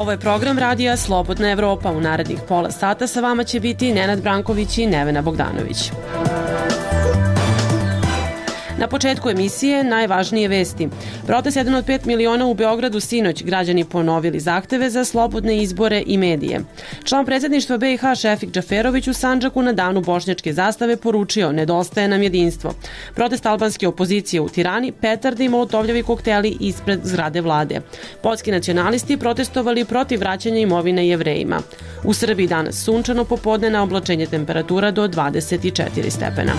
Ovo je program radija Slobodna Evropa. U narednih pola sata sa vama će biti Nenad Branković i Nevena Bogdanović. Na početku emisije najvažnije vesti. Protest 1 od 5 miliona u Beogradu sinoć, građani ponovili zahteve za slobodne izbore i medije. Član predsjedništva BiH Šefik Džaferović u Sandžaku na danu bošnjačke zastave poručio: nedostaje nam jedinstvo. Protest albanske opozicije u Tirani, petarde i molotovljevi kokteli ispred zgrade vlade. Poljski nacionalisti protestovali protiv vraćanja imovine Jevrejima. U Srbiji danas sunčano, popodne na oblačenje, temperatura do 24 stepena.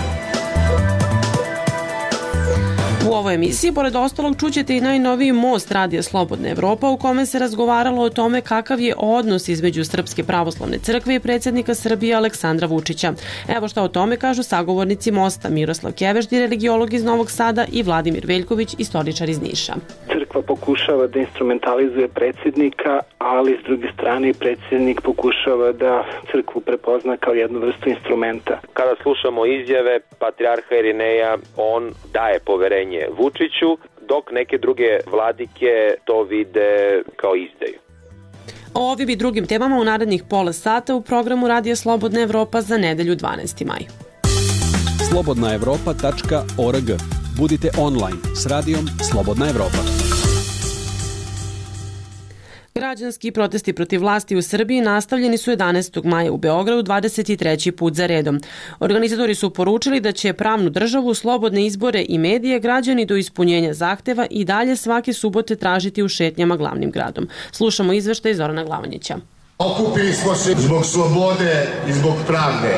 U ovoj emisiji, pored ostalog, čućete i najnoviji most radija Slobodna Evropa u kome se razgovaralo o tome kakav je odnos između Srpske pravoslavne crkve i predsjednika Srbije Aleksandra Vučića. Evo šta o tome kažu sagovornici mosta: Miroslav Kevešdi, religiolog iz Novog Sada, i Vladimir Veljković, istoričar iz Niša. Crkva pokušava da instrumentalizuje predsjednika, ali s druge strane predsjednik pokušava da crkvu prepozna kao jednu vrstu instrumenta. Kada slušamo izjave patrijarha Irineja, on daje poverenje Vučiću, dok neke druge vladike to vide kao izdaju. O ovim i drugim temama u narednih pola sata u programu Radija Slobodna Evropa za nedelju 12. maj. slobodnaevropa.org. Budite online s radijom Slobodna Evropa. Građanski protesti protiv vlasti u Srbiji nastavljeni su 11. maja u Beogradu 23. put za redom. Organizatori su poručili da će pravnu državu, slobodne izbore i medije građani do ispunjenja zahteva i dalje svake subote tražiti u šetnjama glavnim gradom. Slušamo izveštaj Zorana Glavonjića. Okupili smo se zbog slobode i zbog pravde.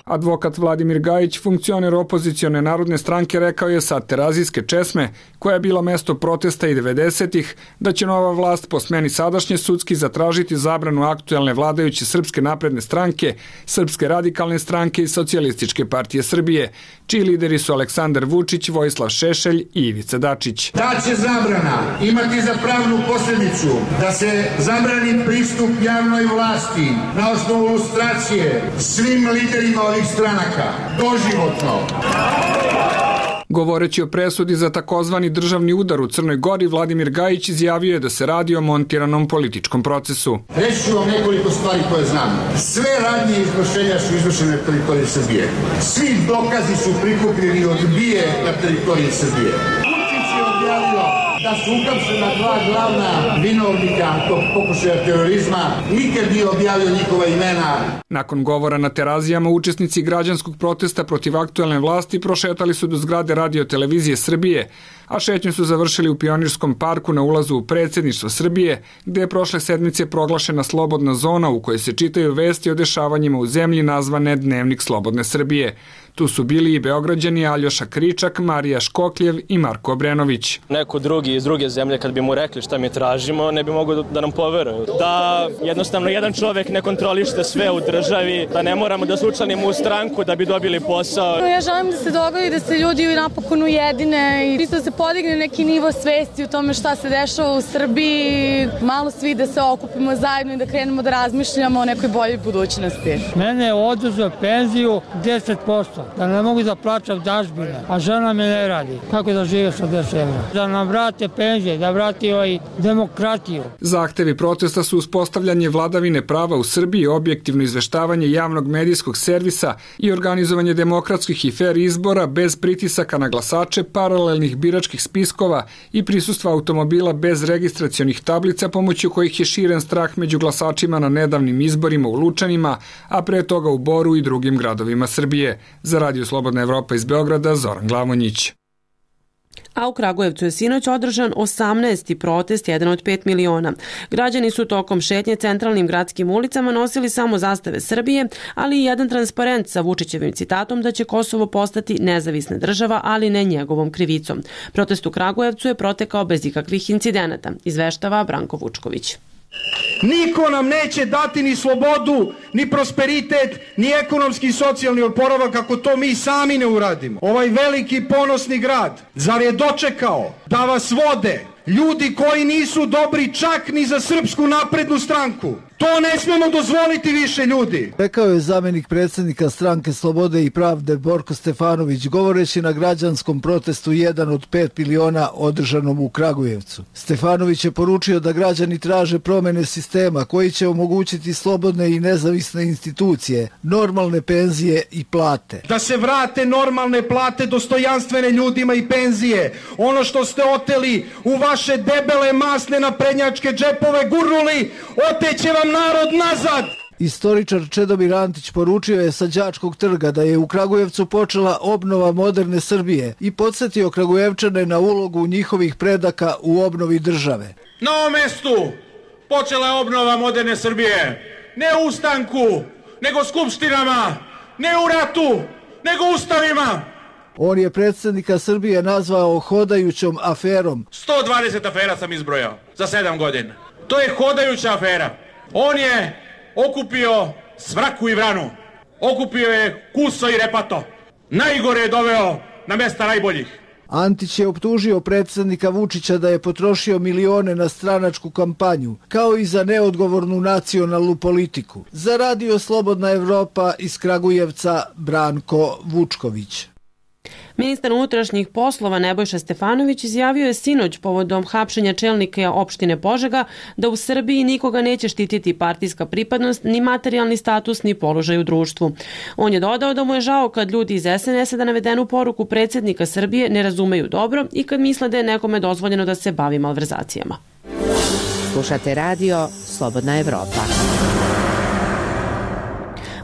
Advokat Vladimir Gajić, funkcioner opozicione narodne stranke, rekao je sa Terazijske česme, koja je bila mesto protesta i 90-ih, da će nova vlast po smeni sadašnje sudski zatražiti zabranu aktuelne vladajuće Srpske napredne stranke, Srpske radikalne stranke i Socijalističke partije Srbije, čiji lideri su Aleksandar Vučić, Vojislav Šešelj i Ivica Dačić. Ta će zabrana imati za pravnu posljedicu da se zabrani pristup javnoj vlasti na osnovu lustracije svim liderima ovih stranaka, doživotno. Govoreći o presudi za takozvani državni udar u Crnoj Gori, Vladimir Gajić izjavio je da se radi o montiranom političkom procesu. Reći ću vam nekoliko stvari koje znam. Sve radnje izvršenja su izvršene na teritoriji Srbije. Svi dokazi su prikupljeni od BIA na teritoriji Srbije. Vučić je objavio da su uhapšena dva glavna vinovnika tog pokušaja terorizma, nikad nije objavio njihova imena. Nakon govora na Terazijama, učesnici građanskog protesta protiv aktuelne vlasti prošetali su do zgrade Radio-televizije Srbije, a šetnju su završili u Pionirskom parku na ulazu u predsjedništvo Srbije, gde je prošle sedmice proglašena slobodna zona u kojoj se čitaju vesti o dešavanjima u zemlji nazvane Dnevnik Slobodne Srbije. Tu su bili i Beograđani Aljoša Kričak, Marija Škokljev i Marko Obrenović. Neko drugi iz druge zemlje, kad bi mu rekli šta mi tražimo, ne bi mogao da nam poveruju. Da jednostavno jedan čovek ne kontroliše sve u državi, da ne moramo da se učlanimo u stranku da bi dobili posao. Ja želim da se dogodi da se ljudi napokon ujedine i da se podigne neki nivo svesti o tome šta se dešava u Srbiji, malo svi da se okupimo zajedno i da krenemo da razmišljamo o nekoj boljoj budućnosti. Mene je oduzeo penziju 10%. Da ne mogu da plaćam dažbine, a žena me ne radi. Kako da žive sa 10 evra? Da nam vrate penzije, da vrati demokratiju. Zahtevi protesta su uspostavljanje vladavine prava u Srbiji, objektivno izveštavanje javnog medijskog servisa i organizovanje demokratskih i fer izbora bez pritisaka na glasače, paralelnih biračkih spiskova i prisustva automobila bez registracionih tablica, pomoću kojih je širen strah među glasačima na nedavnim izborima u Lučanima, a pre toga u Boru i drugim gradovima Srbije. Za Radio Slobodna Evropa iz Beograda, Zoran Glavonjić. A u Kragujevcu je sinoć održan 18. protest 1 od 5 miliona. Građani su tokom šetnje centralnim gradskim ulicama nosili samo zastave Srbije, ali i jedan transparent sa Vučićevim citatom da će Kosovo postati nezavisna država, ali ne njegovom krivicom. Protest u Kragujevcu je protekao bez ikakvih incidenata, izveštava Branko Vučković. Niko nam neće dati ni slobodu, ni prosperitet, ni ekonomski i socijalni oporavak ako to mi sami ne uradimo. Ovaj veliki ponosni grad, zar je dočekao da vas vode ljudi koji nisu dobri čak ni za Srpsku naprednu stranku? To ne smemo dozvoliti više, ljudi. Rekao je zamenik predsjednika Stranke Slobode i pravde Borko Stefanović govoreći na građanskom protestu 1 od 5 miliona održanom u Kragujevcu. Stefanović je poručio da građani traže promjene sistema koji će omogućiti slobodne i nezavisne institucije, normalne penzije i plate. Da se vrate normalne plate dostojanstvene ljudima i penzije. Ono što ste oteli u vaše debele masne naprednjačke džepove gurnuli, oteće vam narod nazad. Istoričar Čedomir Antić poručio je sa Đačkog trga da je u Kragujevcu počela obnova moderne Srbije i podsjetio Kragujevčane na ulogu njihovih predaka u obnovi države. Na ovom mestu počela je obnova moderne Srbije. Ne u ustanku, nego skupštinama, ne u ratu, nego ustavima. On je predsjednika Srbije nazvao hodajućom aferom. 120 afera sam izbrojao za 7 godina. To je hodajuća afera. On je okupio svraku i vranu. Okupio je kuso i repato. Najgore je doveo na mesta najboljih. Antić je optužio predsjednika Vučića da je potrošio milione na stranačku kampanju, kao i za neodgovornu nacionalnu politiku. Za Radio Slobodna Evropa iz Kragujevca Branko Vučković. Ministar unutrašnjih poslova Nebojša Stefanović izjavio je sinoć povodom hapšenja čelnika opštine Požega da u Srbiji nikoga neće štititi partijska pripadnost, ni materijalni status, ni položaj u društvu. On je dodao da mu je žao kad ljudi iz SNS-a da navedenu poruku predsjednika Srbije ne razumeju dobro i kad misle da je nekome dozvoljeno da se bavi malverzacijama. Slušate radio Slobodna Evropa.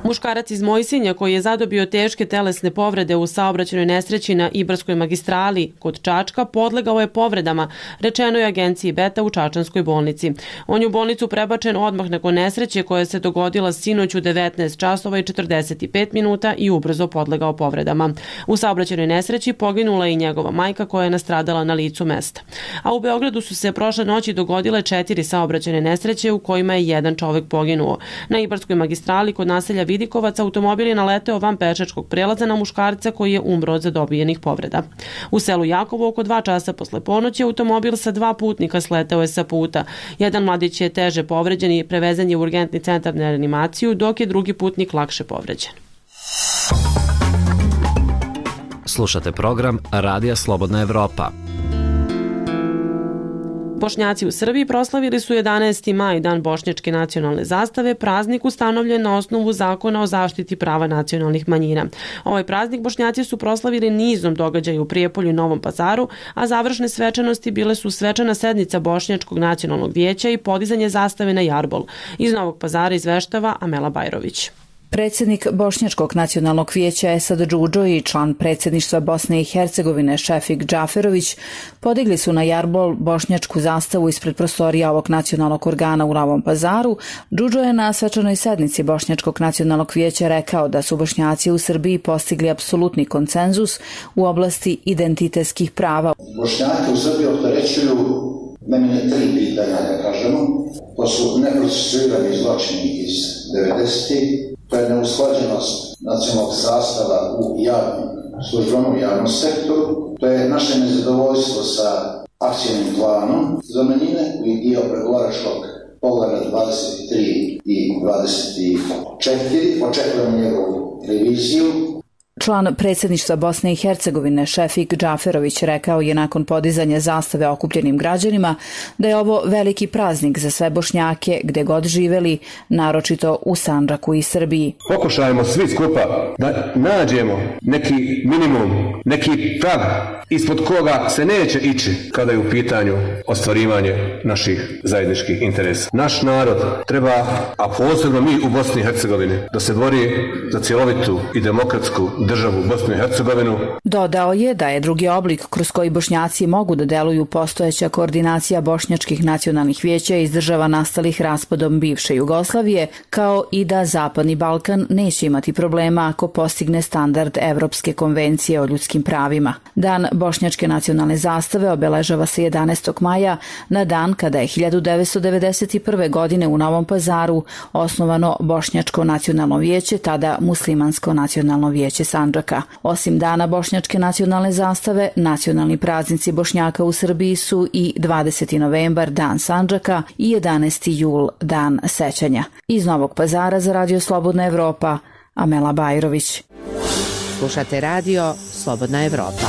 Muškarac iz Mojsinja koji je zadobio teške telesne povrede u saobraćajnoj nesreći na Ibarskoj magistrali kod Čačka podlegao je povredama, rečeno je agenciji Beta u Čačanskoj bolnici. On je u bolnicu prebačen odmah nakon nesreće koja se dogodila sinoć u 19 časova i 45 minuta i ubrzo podlegao povredama. U saobraćajnoj nesreći poginula je i njegova majka koja je nastradala na licu mesta. A u Beogradu su se prošle noći dogodile 4 saobraćajne nesreće u kojima je jedan čovek poginuo. Na Ibarskoj magistrali kod naselja Vidikovac automobil je naleteo van pešačkog prelaza na muškarca koji je umro od zadobijenih povreda. U selu Jakovo oko 2 časa posle ponoći automobil sa 2 putnika sleteo je sa puta. Jedan mladić je teže povređen i prevezen je u urgentni centar na reanimaciju, dok je drugi putnik lakše povređen. Slušate program Radija Slobodna Evropa. Bošnjaci u Srbiji proslavili su 11. maj, dan bošnjačke nacionalne zastave, praznik ustanovljen na osnovu zakona o zaštiti prava nacionalnih manjina. Ovaj praznik Bošnjaci su proslavili nizom događaja u Prijepolju i Novom Pazaru, a završne svečanosti bile su svečana sednica Bošnjačkog nacionalnog vijeća i podizanje zastave na Jarbol. Iz Novog Pazara izveštava Amela Bajrović. Predsjednik Bošnjačkog nacionalnog vijeća Esad Džudžo i član predsjedništva Bosne i Hercegovine Šefik Džaferović podigli su na Jarbol bošnjačku zastavu ispred prostorija ovog nacionalnog organa u Novom Pazaru. Džudžo je na svečanoj sednici Bošnjačkog nacionalnog vijeća rekao da su Bošnjaci u Srbiji postigli apsolutni konsenzus u oblasti identitetskih prava. Bošnjaki u Srbiji opterećuju mene 3 pitanja, da kažemo. To su neprocesuirani zločini iz 90-ih, to je neusklađenost nacionalnog sastava u javnim službama, u javnom sektoru, to je naše nezadovoljstvo sa akcijnim planom za manjine koji je dio pregovaračkog poglavlja 23 i 24, očekujemo njegovu reviziju. Član predsjedništva Bosne i Hercegovine Šefik Džaferović rekao je nakon podizanja zastave okupljenim građanima da je ovo veliki praznik za sve Bošnjake gde god živeli, naročito u Sandžaku i Srbiji. Pokušajmo svi skupa da nađemo neki minimum, neki prag ispod koga se neće ići kada je u pitanju ostvarivanje naših zajedničkih interesa. Naš narod treba, a posebno mi u Bosni i Hercegovini, da se bori za cjelovitu i demokratsku državu Bosnu i Hercegovinu. Dodao je da je drugi oblik kroz koji Bošnjaci mogu da deluju postojeća koordinacija bošnjačkih nacionalnih vijeća iz država nastalih raspadom bivše Jugoslavije, kao i da Zapadni Balkan neće imati problema ako postigne standard Evropske konvencije o ljudskim pravima. Dan bošnjačke nacionalne zastave obeležava se 11. maja na dan kada je 1991. godine u Novom Pazaru osnovano Bošnjačko nacionalno vijeće, tada Muslimansko nacionalno vijeće Sandžaka. Osim dana bošnjačke nacionalne zastave, nacionalni praznici Bošnjaka u Srbiji su i 20. novembar, dan Sandžaka, i 11. jul, dan sećanja. Iz Novog Pazara za Radio Slobodna Evropa, Amela Bajrović. Slušate radio Slobodna Evropa.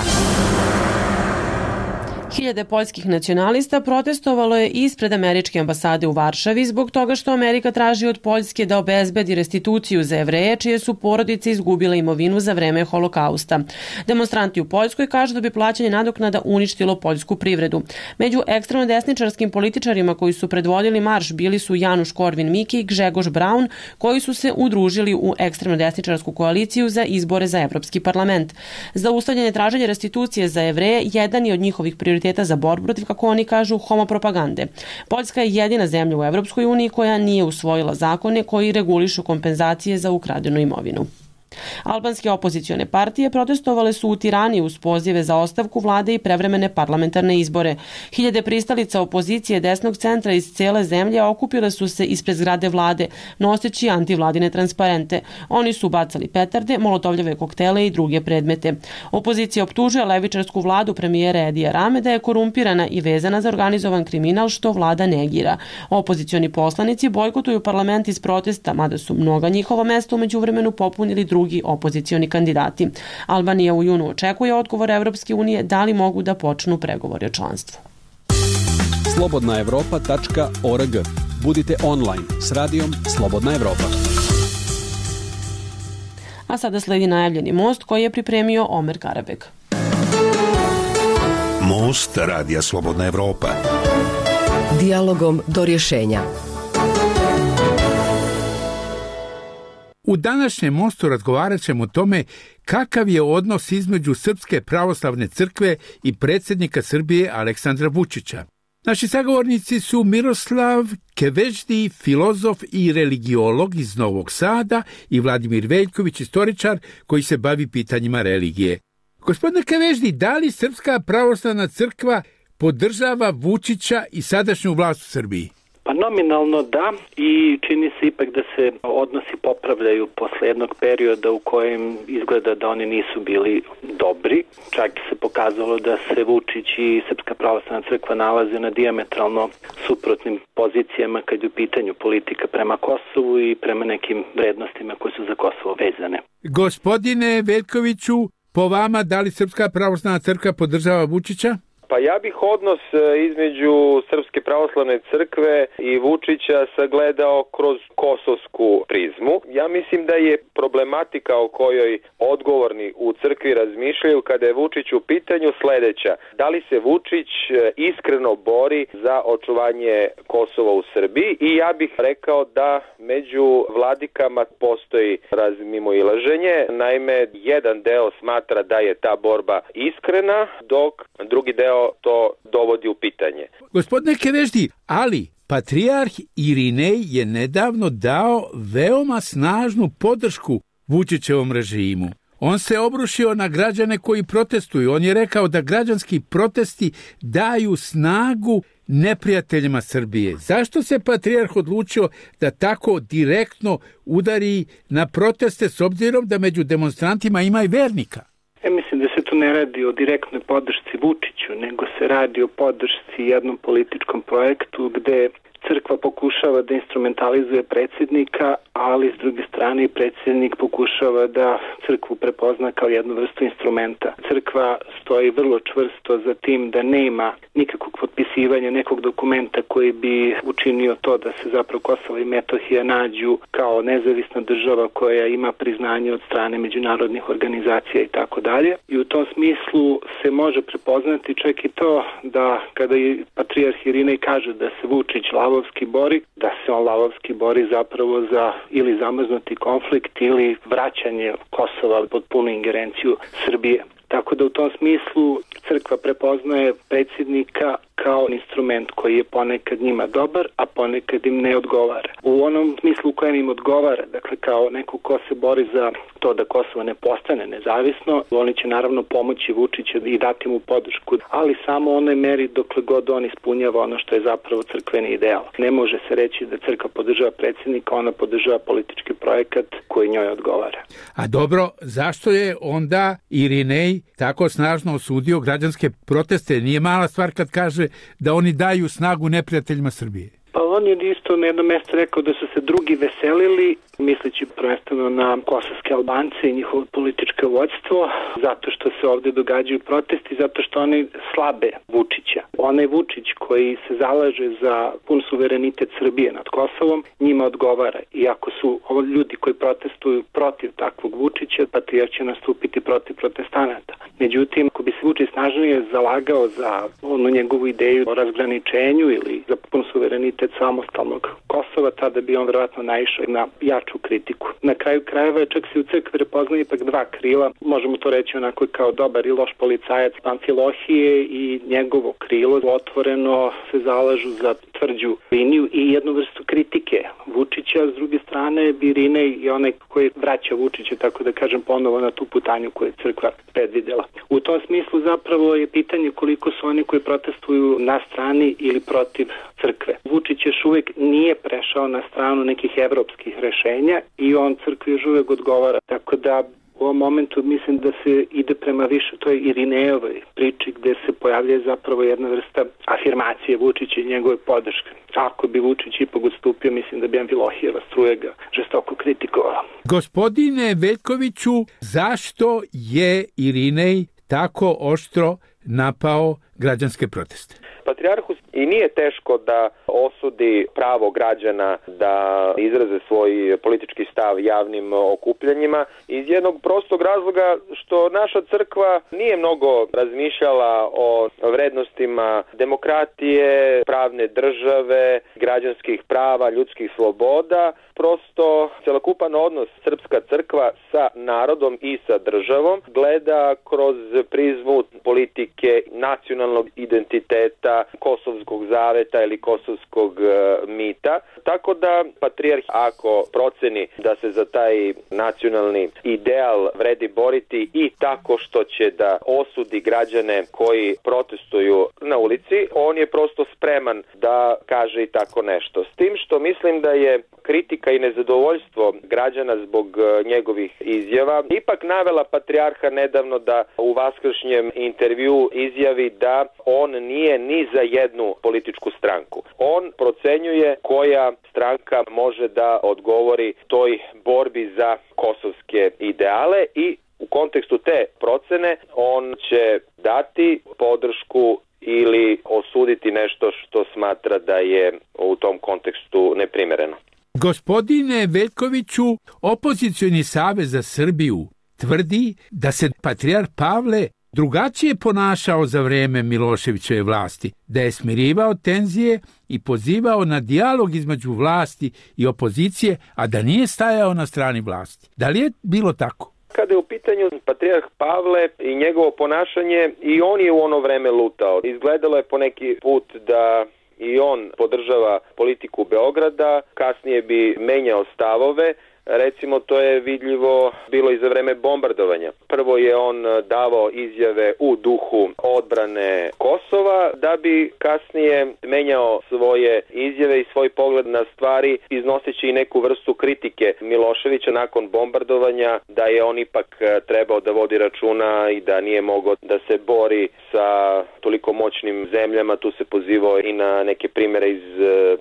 Hiljade poljskih nacionalista protestovalo je ispred američke ambasade u Varšavi zbog toga što Amerika traži od Poljske da obezbedi restituciju za Jevreje čije su porodice izgubile imovinu za vreme Holokausta. Demonstranti u Poljskoj kažu da bi plaćanje nadoknada uništilo poljsku privredu. Među ekstremno desničarskim političarima koji su predvodili marš bili su Januš Korvin-Mike i Grzegorz Braun, koji su se udružili u ekstremno desničarsku koaliciju za izbore za Evropski parlament. Zaustavljanje traženja restitucije za Jevreje jedan je od njihovih prioriteta za borbu protiv, kako oni kažu, homopropagande. Poljska je jedina zemlja u Evropskoj uniji koja nije usvojila zakone koji regulišu kompenzacije za ukradenu imovinu. Albanske opozicione partije protestovale su u Tirani uz pozive za ostavku vlade i prevremene parlamentarne izbore. Hiljade pristalica opozicije desnog centra iz cele zemlje okupile su se ispred zgrade vlade, noseći antivladine transparente. Oni su bacali petarde, molotovljeve koktele i druge predmete. Opozicija optužuje levičarsku vladu premijera Edija Rame da je korumpirana i vezana za organizovan kriminal, što vlada negira. Opozicioni poslanici bojkotuju parlament iz protesta, mada su mnoga njihova mesta umeđu vremenu popunili drugi opozicioni kandidati. Albanija u junu očekuje odgovor Evropske unije da li mogu da počnu pregovori o članstvu. slobodnaevropa.org. Budite online s radijom Slobodna Evropa. A sada sledi najavljeni most koji je pripremio Omer Karabek. Most Radija Slobodna Evropa. Dijalogom do rješenja. U današnjem mostu razgovarat ćemo o tome kakav je odnos između Srpske pravoslavne crkve i predsjednika Srbije Aleksandra Vučića. Naši sagovornici su Miroslav Keveždi, filozof i religiolog iz Novog Sada, i Vladimir Veljković, istoričar koji se bavi pitanjima religije. Gospodine Keveždi, da li Srpska pravoslavna crkva podržava Vučića i sadašnju vlast u Srbiji? Pa nominalno da, i čini se ipak da se odnosi popravljaju posle jednog perioda u kojem izgleda da oni nisu bili dobri. Čak se pokazalo da se Vučić i Srpska pravoslavna crkva nalaze na dijametralno suprotnim pozicijama kad je u pitanju politika prema Kosovu i prema nekim vrednostima koje su za Kosovo vezane. Gospodine Veljkoviću, po vama, da li Srpska pravoslavna crkva podržava Vučića? Pa ja bih odnos između Srpske pravoslavne crkve i Vučića sagledao kroz kosovsku prizmu. Ja mislim da je problematika o kojoj odgovorni u crkvi razmišljaju kada je Vučić u pitanju sledeća. Da li se Vučić iskreno bori za očuvanje Kosova u Srbiji? I ja bih rekao da među vladikama postoji razmimoilaženje. Naime, jedan deo smatra da je ta borba iskrena, dok drugi deo to dovodi u pitanje. Gospodine Keveždi, ali patrijarh Irinej je nedavno dao veoma snažnu podršku Vučićevom režimu. On se obrušio na građane koji protestuju. On je rekao da građanski protesti daju snagu neprijateljima Srbije. Zašto se patrijarh odlučio da tako direktno udari na proteste, s obzirom da među demonstrantima ima i vernika? Ja mislim da se tu ne radi o direktnoj podršci Vučiću, nego se radi o podršci jednom političkom projektu gde crkva pokušava da instrumentalizuje predsjednika, ali s druge strane i predsjednik pokušava da crkvu prepozna kao jednu vrstu instrumenta. Crkva stoji vrlo čvrsto za tim da nema nikakvog potpisivanja nekog dokumenta koji bi učinio to da se zapravo Kosovo i Metohija nađu kao nezavisna država koja ima priznanje od strane međunarodnih organizacija i tako dalje. I u tom smislu se može prepoznati čak i to da kada je patrijarh Irinej kaže da se Vučić lavovski bori, da se on lavovski bori zapravo za ili zamrznuti konflikt ili vraćanje Kosova pod punu ingerenciju Srbije. Tako da u tom smislu crkva prepoznaje predsjednika, kao instrument koji je ponekad njima dobar, a ponekad im ne odgovara. U onom smislu u kojem im odgovara, dakle kao neko ko se bori za to da Kosovo ne postane nezavisno, oni će naravno pomoći Vučiću i dati mu podršku, ali samo u onoj meri dokle god on ispunjava ono što je zapravo crkveni ideal. Ne može se reći da crkva podržava predsjednika, ona podržava politički projekat koji njoj odgovara. A dobro, zašto je onda Irinej tako snažno osudio građanske proteste? Nije mala stvar kad kaže da oni daju snagu neprijateljima Srbije. Pa on je isto na jednom mjestu rekao da su se drugi veselili, misleći prvenstveno na kosovske Albance i njihovo političko vođstvo, zato što se ovdje događaju protesti, zato što oni slabe Vučića. Onaj Vučić koji se zalaže za pun suverenitet Srbije nad Kosovom, njima odgovara. I ako su ovo ljudi koji protestuju protiv takvog Vučića, patrijarh će nastupiti protiv protestanata. Međutim, ako bi se Vučić snažnije zalagao za onu njegovu ideju o razgraničenju ili za pun suverenitet samostalnog Kosova, tada bi on vjerojatno naišao na jaču kritiku. Na kraju krajeva čak se u crkvi prepoznaje ipak dva krila, možemo to reći onako kao dobar i loš policajac Amfilohije i njegovo krilo otvoreno se zalažu za tvrđu liniju i jednu vrstu kritike Vučića, s druge strane Irinej i onaj koji vraća Vučića, tako da kažem, ponovo na tu putanju koju je crkva predvidela. U tom smislu zapravo je pitanje koliko su oni koji protestuju na strani ili protiv crkve. Vučić još uvijek nije prešao na stranu nekih evropskih rešenja i on crkvi još uvijek odgovara. Tako da u ovom momentu mislim da se ide prema više toj Irinejevoj priči gdje se pojavlja zapravo jedna vrsta afirmacije Vučića i njegove podrške. Ako bi Vučić ipak odstupio, mislim da bi Amfilohijeva struja ga žestoko kritikovala. Gospodine Veljkoviću, zašto je Irinej tako oštro napao građanske proteste? Patrijarhu i nije teško da osudi pravo građana da izraze svoj politički stav javnim okupljanjima iz jednog prostog razloga što naša crkva nije mnogo razmišljala o vrednostima demokratije, pravne države, građanskih prava, ljudskih sloboda. Prosto celokupan odnos srpska crkva sa narodom i sa državom gleda kroz prizmu politike, nacionalnog identiteta, kosovskog zaveta ili kosovskog mita. Tako da patrijarh, ako proceni da se za taj nacionalni ideal vredi boriti i tako što će da osudi građane koji protestuju na ulici, on je prosto spreman da kaže i tako nešto. S tim što mislim da je kritika i nezadovoljstvo građana zbog njegovih izjava ipak navela patrijarha nedavno da u vaskršnjem intervjuu izjavi da on nije ni za jednu političku stranku. On procenjuje koja stranka može da odgovori toj borbi za kosovske ideale i u kontekstu te procene on će dati podršku ili osuditi nešto što smatra da je u tom kontekstu neprimereno. Gospodine Veljkoviću, Opozicioni savez za Srbiju tvrdi da se patrijarh Pavle drugačije ponašao za vreme Miloševićeve vlasti, da je smirivao tenzije i pozivao na dijalog između vlasti i opozicije, a da nije stajao na strani vlasti. Da li je bilo tako? Kada je u pitanju patrijarh Pavle i njegovo ponašanje, i on je u ono vreme lutao. Izgledalo je poneki put da i on podržava politiku Beograda, kasnije bi menjao stavove. Recimo, to je vidljivo bilo i za vreme bombardovanja. Prvo je on davao izjave u duhu odbrane Kosova, da bi kasnije menjao svoje izjave i svoj pogled na stvari, iznoseći i neku vrstu kritike Miloševića nakon bombardovanja, da je on ipak trebao da vodi računa i da nije mogao da se bori sa toliko moćnim zemljama. Tu se pozivao i na neke primjere iz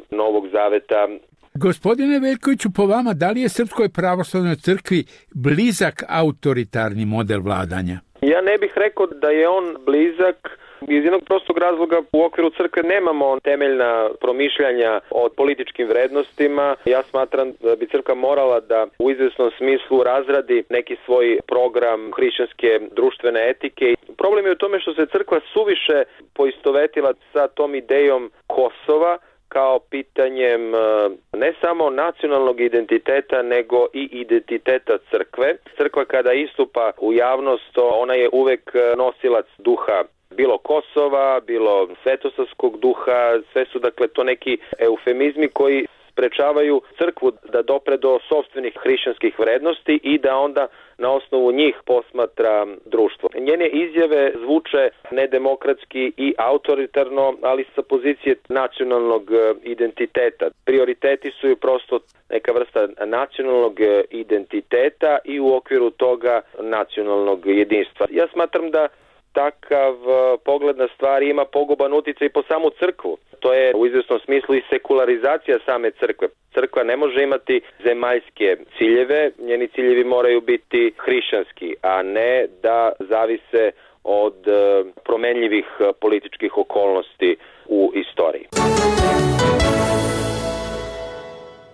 Novog Zaveta. Gospodine Veljkoviću, po vama, da li je Srpskoj pravoslavnoj crkvi blizak autoritarni model vladanja? Ja ne bih rekao da je on blizak iz jednog prostog razloga. U okviru crkve nemamo temeljna promišljanja o političkim vrednostima. Ja smatram da bi crkva morala da u izvesnom smislu razradi neki svoj program hrišćanske društvene etike. Problem je u tome što se crkva suviše poistovetila sa tom idejom Kosova kao pitanjem ne samo nacionalnog identiteta, nego i identiteta crkve. Crkva kada istupa u javnost, ona je uvek nosilac duha bilo Kosova, bilo svetosavskog duha, sve su dakle to neki eufemizmi koji sprečavaju crkvu da dopre do sopstvenih hrišćanskih vrednosti i da onda na osnovu njih posmatra društvo. Njene izjave zvuče nedemokratski i autoritarno, ali sa pozicije nacionalnog identiteta. Prioriteti su ju prosto neka vrsta nacionalnog identiteta i u okviru toga nacionalnog jedinstva. Ja smatram da takav pogled na stvari ima poguban uticaj po samu crkvu. To je u izvjesnom smislu i sekularizacija same crkve. Crkva ne može imati zemaljske ciljeve, njeni ciljevi moraju biti hrišćanski, a ne da zavise od promenljivih političkih okolnosti u istoriji.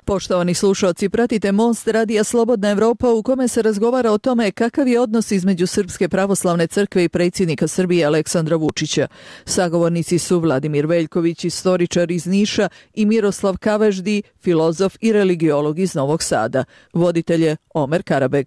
Poštovani slušalci, pratite Most Radija Slobodna Evropa u kome se razgovara o tome kakav je odnos između Srpske pravoslavne crkve i predsjednika Srbije Aleksandra Vučića. Sagovornici su Vladimir Veljković, istoričar iz Niša, i Miroslav Kaveždi, filozof i religiolog iz Novog Sada. Voditelj je Omer Karabeg.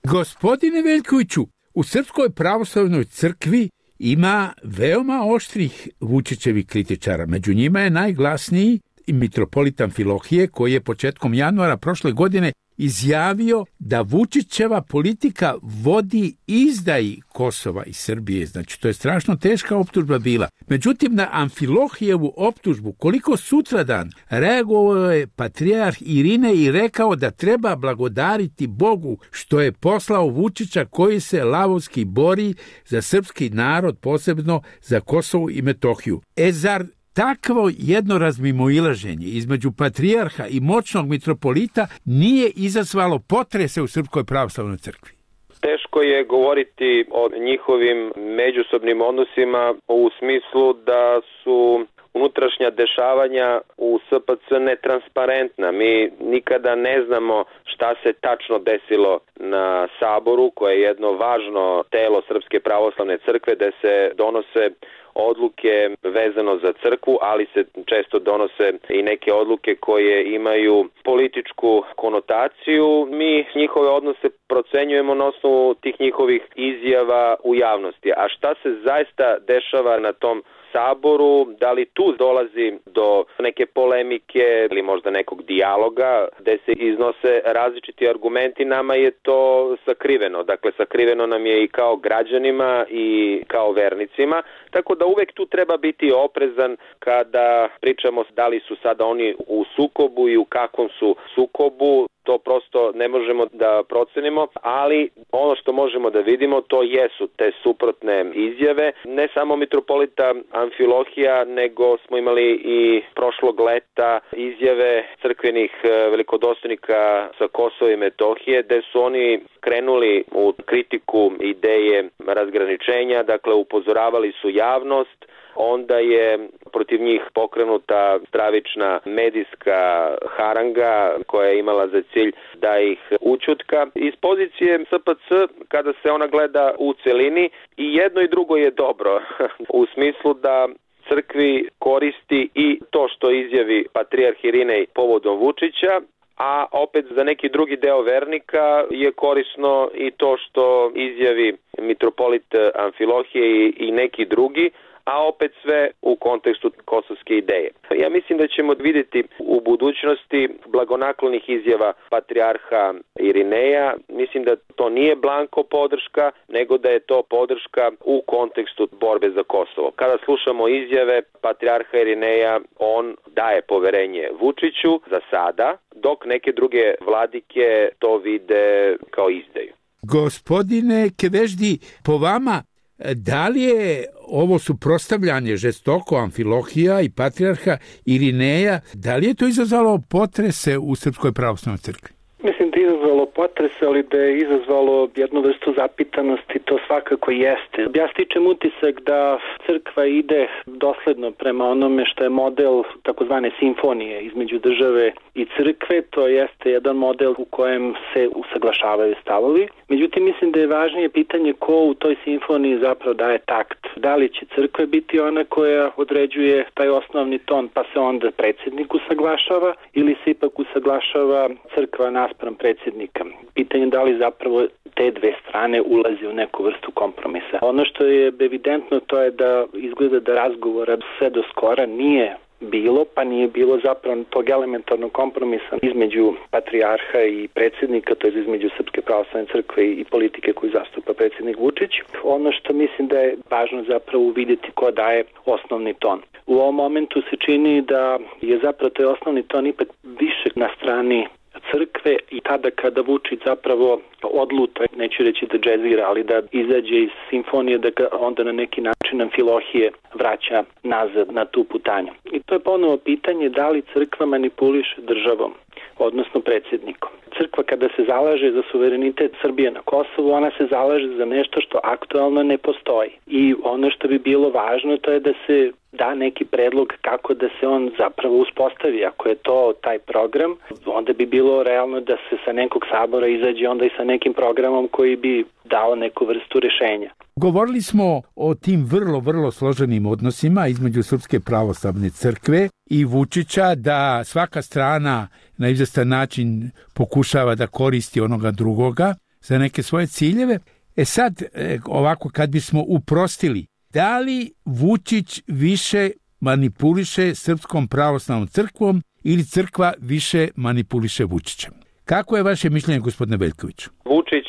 Gospodine Veljkoviću, u Srpskoj pravoslavnoj crkvi ima veoma oštrih Vučićevih kritičara. Među njima je najglasniji i mitropolit Amfilohije, koji je početkom januara prošle godine izjavio da Vučićeva politika vodi izdaji Kosova i Srbije. Znači, to je strašno teška optužba bila. Međutim, na Amfilohijevu optužbu, koliko sutradan reagovao je patrijarh Irinej i rekao da treba blagodariti Bogu što je poslao Vučića koji se lavovski bori za srpski narod, posebno za Kosovo i Metohiju. Zar takvo jedno razmimoilaženje između patrijarha i moćnog mitropolita nije izazvalo potrese u Srpskoj pravoslavnoj crkvi? Teško je govoriti o njihovim međusobnim odnosima u smislu da su unutrašnja dešavanja u SPC netransparentna. Mi nikada ne znamo šta se tačno desilo na Saboru, koje je jedno važno telo Srpske pravoslavne crkve, gde se donose odluke vezano za crkvu, ali se često donose i neke odluke koje imaju političku konotaciju. Mi njihove odnose procenjujemo na osnovu tih njihovih izjava u javnosti. A šta se zaista dešava na tom Saboru, da li tu dolazi do neke polemike ili možda nekog dijaloga gde se iznose različiti argumenti, nama je to sakriveno. Dakle, sakriveno nam je i kao građanima i kao vernicima, tako da uvek tu treba biti oprezan kada pričamo da li su sada oni u sukobu i u kakvom su sukobu. To prosto ne možemo da procenimo, ali ono što možemo da vidimo to jesu te suprotne izjave. Ne samo mitropolita Amfilohija, nego smo imali i prošlog leta izjave crkvenih velikodostojnika sa Kosova i Metohije, gde su oni krenuli u kritiku ideje razgraničenja, dakle upozoravali su javnost. Onda je protiv njih pokrenuta stravična medijska haranga koja je imala za cilj da ih ućutka. Iz pozicije SPC, kada se ona gleda u celini, i jedno i drugo je dobro. U smislu da crkvi koristi i to što izjavi patrijarh Irinej povodom Vučića, a opet za neki drugi deo vernika je korisno i to što izjavi mitropolit Amfilohije i neki drugi, a opet sve u kontekstu kosovske ideje. Ja mislim da ćemo vidjeti u budućnosti blagonaklonih izjava patrijarha Irineja. Mislim da to nije blanko podrška, nego da je to podrška u kontekstu borbe za Kosovo. Kada slušamo izjave patrijarha Irineja, on daje poverenje Vučiću za sada, dok neke druge vladike to vide kao izdaju. Gospodine Keveždi, po vama, da li je ovo suprotstavljanje žestoko Amfilohija i patrijarha Irineja, da li je to izazvalo potrese u Srpskoj pravoslavnoj crkvi? Mislim da je izazvalo potrese, ali da je izazvalo jednu vrstu zapitanosti, to svakako jeste. Ja stičem utisak da crkva ide dosledno prema onome što je model takozvane simfonije između države i crkve. To jeste jedan model u kojem se usaglašavaju stavovi. Međutim, mislim da je važnije pitanje ko u toj simfoniji zapravo daje takt. Da li će crkva biti ona koja određuje taj osnovni ton, pa se onda predsjednik usaglašava, ili se ipak usaglašava crkva naspram predsjednika. Pitanje da li zapravo te dve strane ulazi u neku vrstu kompromisa. Ono što je evidentno to je da izgleda da razgovora sve do skora nije bilo, pa nije bilo zapravo tog elementarnog kompromisa između patrijarha i predsjednika, to je između Srpske pravoslavne crkve i politike koju zastupa predsjednik Vučić. Ono što mislim da je važno zapravo uvidjeti ko daje osnovni ton. U ovom momentu se čini da je zapravo taj osnovni ton ipak više na strani crkve i tada kada Vučić zapravo odluta, neću reći da džezira, ali da izađe iz simfonije, da ga onda na neki način Amfilohije vraća nazad na tu putanju. I to je ponovo pitanje da li crkva manipuliše državom, odnosno predsjednikom. Crkva kada se zalaže za suverenitet Srbije na Kosovu, ona se zalaže za nešto što aktualno ne postoji. I ono što bi bilo važno to je da se da neki predlog kako da se on zapravo uspostavi. Ako je to taj program, onda bi bilo realno da se sa nekog sabora izađe onda i sa nekim programom koji bi dao neku vrstu rešenja. Govorili smo o tim vrlo složenim odnosima između Srpske pravoslavne crkve i Vučića, da svaka strana na izvestan način pokušava da koristi onoga drugoga za neke svoje ciljeve. Sad, ovako kad bismo uprostili, da li Vučić više manipuliše Srpskom pravoslavnom crkvom ili crkva više manipuliše Vučićem? Kako je vaše mišljenje, gospodine Veljkoviću? Vučić,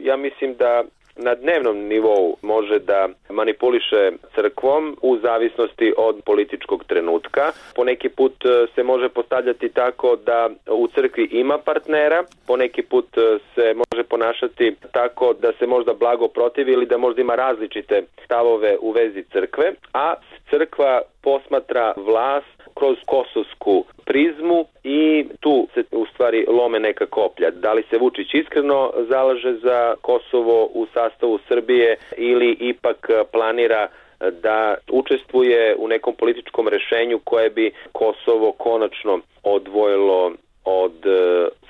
ja mislim da na dnevnom nivou može da manipuliše crkvom u zavisnosti od političkog trenutka. Poneki put se može postavljati tako da u crkvi ima partnera, poneki put se može ponašati tako da se možda blago protivi ili da možda ima različite stavove u vezi crkve, a crkva posmatra vlast kroz kosovsku prizmu i tu se u stvari lome neka koplja. Da li se Vučić iskreno zalaže za Kosovo u sastavu Srbije ili ipak planira da učestvuje u nekom političkom rešenju koje bi Kosovo konačno odvojilo od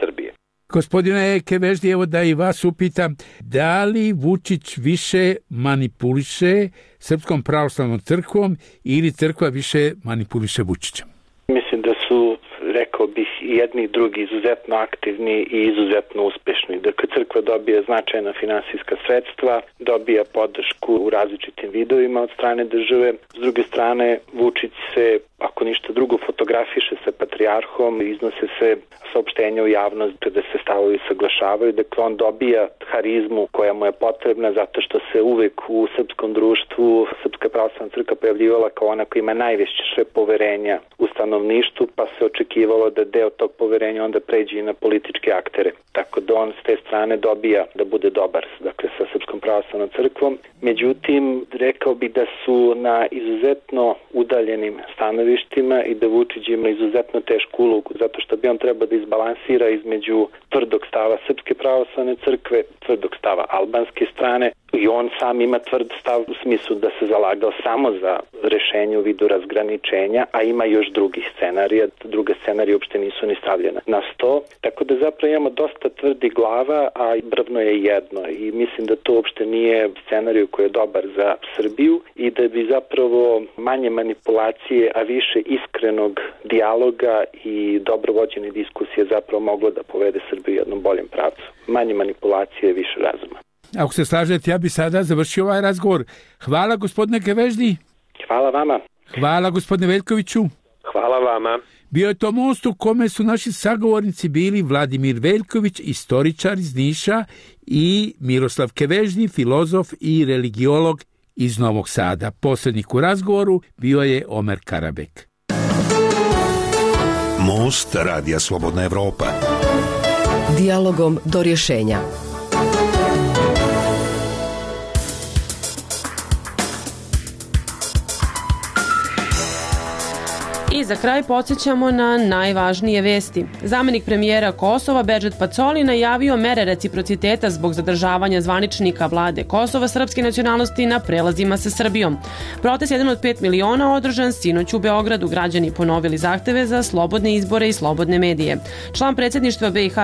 Srbije. Gospodine Keveždi, evo da i vas upitam, da li Vučić više manipuliše Srpskom pravoslavnom crkvom ili crkva više manipuliše Vučićem? Mislim da su, rekao bih, jedni i drugi izuzetno aktivni i izuzetno uspešni. Dakle, crkva dobija značajna finansijska sredstva, dobija podršku u različitim vidovima od strane države. S druge strane, Vučić se, ako ništa drugo, fotografiše sa patrijarhom, iznose se saopštenja u javnost da se stavovi saglašavaju. Dakle, on dobija harizmu koja mu je potrebna zato što se uvek u srpskom društvu Srpska pravoslavna crkva pojavljivala kao ona koja ima najveće poverenja u stanovništvu, pa se očekivalo da deo tog poverenja onda pređe i na političke aktere. Tako da on s te strane dobija da bude dobar, dakle, sa Srpskom pravoslavnom crkvom. Međutim, rekao bi da su na izuzetno udaljenim stanovištima i da Vučić ima izuzetno tešku ulogu, zato što bi on trebao da izbalansira između tvrdog stava Srpske pravoslavne crkve, tvrdog stava albanske strane, i on sam ima tvrd stav u smislu da se zalagao samo za rešenje u vidu razgraničenja, a ima još drugih scenarija. Druga scenarija uopšte nisu ni stavljena na sto. Tako da zapravo imamo dosta tvrdi glava, a brvno je jedno. I mislim da to uopšte nije scenarij koji je dobar za Srbiju i da bi zapravo manje manipulacije, a više iskrenog dijaloga i dobro vođene diskusije zapravo moglo da povede Srbiju jednom boljem pravcu. Manje manipulacije, više razuma. Ako se slažete, ja bi sada završio ovaj razgovor. Hvala, gospodine Keveždi. Hvala vama. Hvala, gospodine Veljkoviću. Hvala vama. Bio je to most u kome su naši sagovornici bili Vladimir Veljković, istoričar iz Niša, i Miroslav Keveždi, filozof i religiolog iz Novog Sada. Posrednik u razgovoru bio je Omer Karabek. Most Radija Slobodna Evropa. Dijalogom do rješenja. I za kraj podsjećamo na najvažnije vesti. Zamenik premijera Kosova Bedžet Pacoli najavio mere reciprociteta zbog zadržavanja zvaničnika vlade Kosova srpske nacionalnosti na prelazima sa Srbijom. Protest 1 od 5 miliona održan sinoć u Beogradu. Građani ponovili zahteve za slobodne izbore i slobodne medije. Član predsjedništva BiH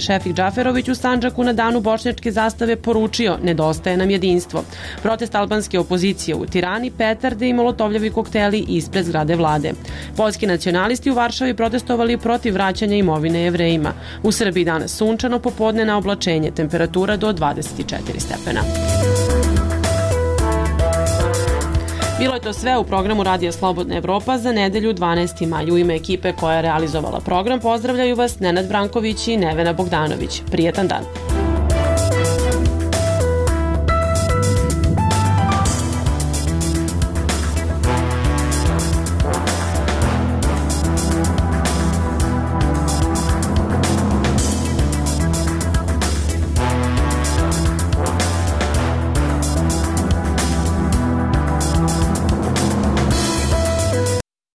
Šefik Džaferović u Sandžaku na danu bošnjačke zastave poručio: nedostaje nam jedinstvo. Protest albanske opozicije u Tirani, petarde i molotovljevi kokteli ispred zgrade vlade. Poljski nacionalisti u Varšavi protestovali protiv vraćanja imovine Jevrejima. U Srbiji danas sunčano, popodne na oblačenje, temperatura do 24 stepena. Bilo je to sve u programu Radija Slobodna Evropa za nedelju 12. maj. U ime ekipe koja je realizovala program pozdravljaju vas Nenad Branković i Nevena Bogdanović. Prijetan dan.